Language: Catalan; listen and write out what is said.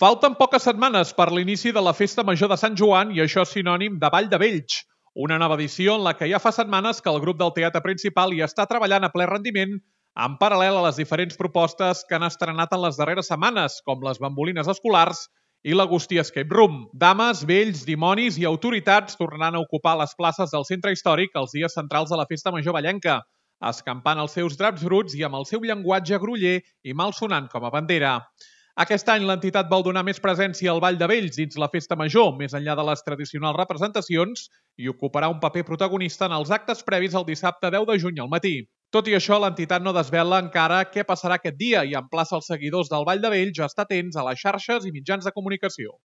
Falten poques setmanes per l'inici de la Festa Major de Sant Joan i això és sinònim de Vall de Vells, una nova edició en la que ja fa setmanes que el grup del Teatre Principal hi està treballant a ple rendiment en paral·lel a les diferents propostes que han estrenat en les darreres setmanes, com les bambolines escolars i l'Agustí Escape Room. Dames, vells, dimonis i autoritats tornaran a ocupar les places del centre històric els dies centrals de la Festa Major vallenca, escampant els seus draps bruts i amb el seu llenguatge groller i malsonant com a bandera. Aquest any l'entitat vol donar més presència al Vall de Vells dins la Festa Major, més enllà de les tradicionals representacions, i ocuparà un paper protagonista en els actes previs el dissabte 10 de juny al matí. Tot i això, l'entitat no desvela encara què passarà aquest dia i emplaça els seguidors del Vall de Vells a estar atents a les xarxes i mitjans de comunicació.